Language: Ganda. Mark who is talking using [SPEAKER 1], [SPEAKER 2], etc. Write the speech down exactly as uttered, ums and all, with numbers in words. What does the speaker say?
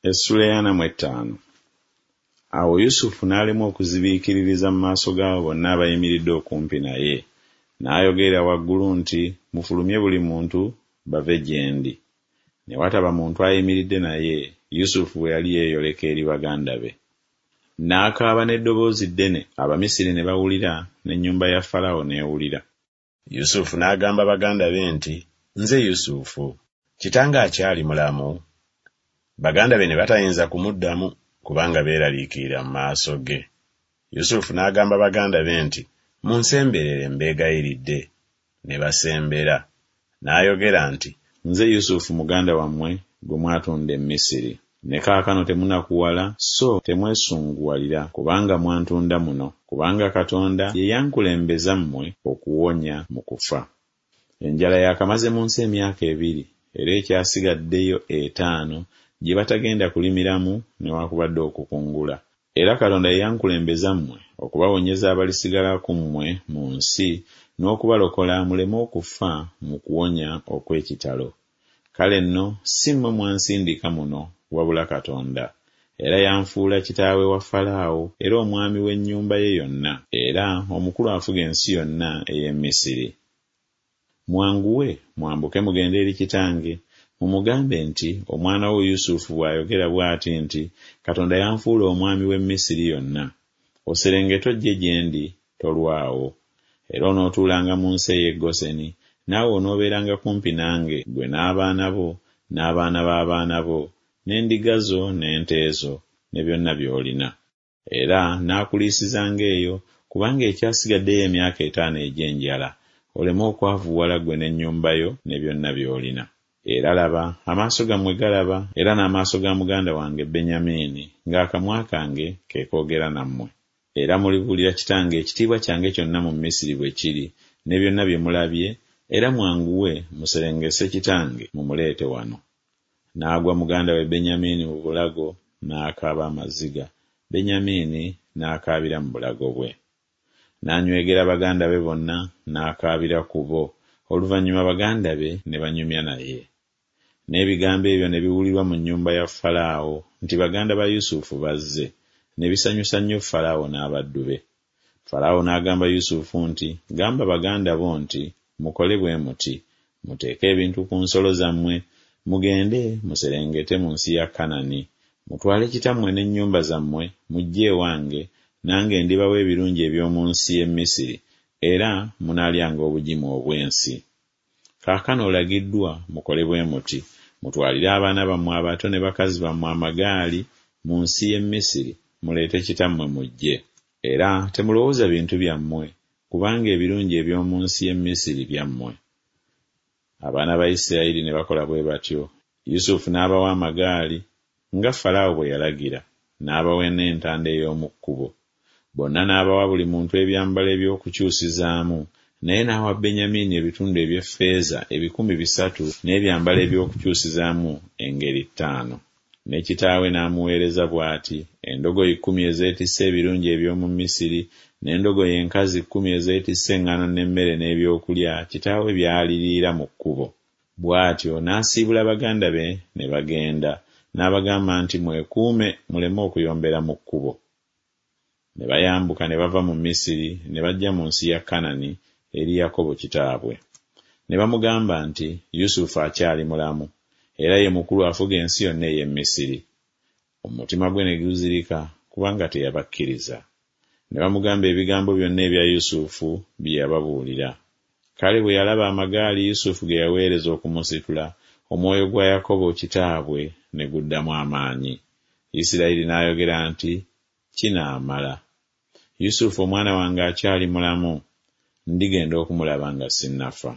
[SPEAKER 1] Essuula ey'ana mu ettaano. Awo Yusufu n'alemwa okuzibiikiririza mu maaso g'abo bonna abayimiridde okumpi naye. N'ayogerera waggulu nti, Mufulumye buli muntu bave gye ndi. Ne wataba muntu ayimiridde naye, Yusufu bwe yali yeeyoleka eri baganda be. N'akaaba n'eddoboozi ddene, Abamisiri ne bawulira, n'ennyumba ya Falaawo n'ewulira.
[SPEAKER 2] Yusufu n'agamba baganda be nti, Nze Yusufu. Kitange akyali mulamu? Baganda be ne batayinza kumuddamu, kubanga beeraliikirira mu maaso ge. Yusufu n'agamba baganda be nti, Munsemberere mbeegayiridde. Ne basembera. N'ayogera nti,
[SPEAKER 1] Nze Yusufu muganda wammwe gwe mwatunda e Misiri. Ne kaakano temunakuwala so temwesunguwalira kubanga mwantunda muno, kubanga Katonda ye yankulembeza mmwe okuwonya mu kufa. Enjala yaakamaze mu nsi emyaka ebiri, era ekyasigaddeyo etaano gye batagenda kulimiramu newakubadde okukungula. Era Katonda ye yankulembeza mmwe okubawonyeza abalisigala ku mmwe mu nsi n'okubalokola muleme okufa mu kuwonya okw'ekitalo. Kale nno si mmwe mwansindika muno, wabula Katonda. Era yanfuula kitaawe wa Falaawo era omwami w'ennyumba ye yonna, era omukulu afuga ensi yonna ey'e Misiri. Mwanguwe, mwambuke mugende eri kitange, mumugambe nti Omwana wo Yusufu bw'ayogera bw'ati nti Katonda yanfuula omwami w'e Misiri yonna. Oserengete ojje gye ndi, tolwawo. Era onootuulanga mu nsi ey'e Goseni, naawe onoobeeranga kumpi nange, ggwe n'abaana bo, n'abaana b'abaana bo, n'endiga zo n'ente zo, ne byonna by'olina. Era naakuliisizanga eyo, kubanga ekyasigaddeyo emyaka etaano egy'enjala, oleme okwavuwala ggwe n'ennyumba yo ne byonna by'olina. Era laba, amaaso gammwe galaba, era n'amaaso ga muganda wange Benyamini, ng'akamwa kange ke koogera nammwe. Era mulibuulira kitange ekitiibwa kyange kyonna mu Misiri bwe kiri, ne byonna bye mulabye, era mwanguwe muserengese kitange mumuleete wano. N'agwa muganda we Benyamini mu bulago n'akaaba amaziga, Benyamini n'akaabira mu bulago bwe. N'anywegera baganda be bonna n'akaabira ku bo, oluvannyuma baganda be ne banyumya naye. N'ebigambo ebyo ne biwulirwa mu nnyumba ya Falaawo nti baganda ba Yusufu bazze, ne bisanyusa nnyo Falaawo n'abaddu be. Falaawo n'agamba Yusufu nti, Gamba baganda bo nti, Mukole bwe muti, muteeke ebintu ku nsolo zammwe, mugende muserengete mu nsi ya Kanani, mutwale kitammwe n'ennyumba zammwe, mujje ewange, nange ndibawa ebirungi eby'omu nsi y'e Misiri, era munaalyanga obugimu obw'ensi. Kaakano olagiddwa mukole bwe muti, mutwalire abaana bammwe abato ne bakazi bammwe amagaali mu nsi y'e Misiri, muleete kitammwe mujje. Era temulowooza bintu byammwe, kubanga ebirungi eby'omu nsi y'e Misiri byammwe. Abaana ba Isirayiri ne bakola bwe batyo. Yusufu n'abawa amagaali, nga Falaawo bwe yalagira, n'abawa n'entanda ey'omu kkubo. Bonna n'abawa buli muntu ebyambalo eby'okukyusizaamu, naye n'awa Benyamini ebitundu eby'effeeza ebikumi bisatu n'ebyambalo eby'okukyusizaamu engeri ttaano. Ne kitaawe n'amuweereza bw'ati, endogoyi kkumi ezeetisse ebirungi eby'omu Misiri, n'endogoyi enkazi kkumi ezeetisse eŋŋaano n'emmere n'ebyokulya kitaawe by'aliriira mu kkubo. Bw'atyo n'asiibula baganda be ne bagenda, n'abagamba nti, Mwekuume muleme okuyombera mu kkubo. Ne bayambuka ne bava mu Misiri ne bajja mu nsi ya Kanani eri Yakobo kitaabwe. Ne bamugamba nti, Yusufu akyali mulamu, era ye mukulu afuga ensi yonna ey'e Misiri. Omutima gwe ne guzirika kubanga teyabakkiriza. Ne bamugamba ebigambo byonna ebya Yusufu bye yababuulira. Kale bwe yalaba amagaali Yusufu ge yaweereza okumusitula, omwoyo gwa Yakobo kitaabwe ne guddamu amaanyi. Isirayiri n'ayogera nti, Kinaamala. Yusufu omwana wange akyali mulamu, ndigenda okumulaba nga sinnafa.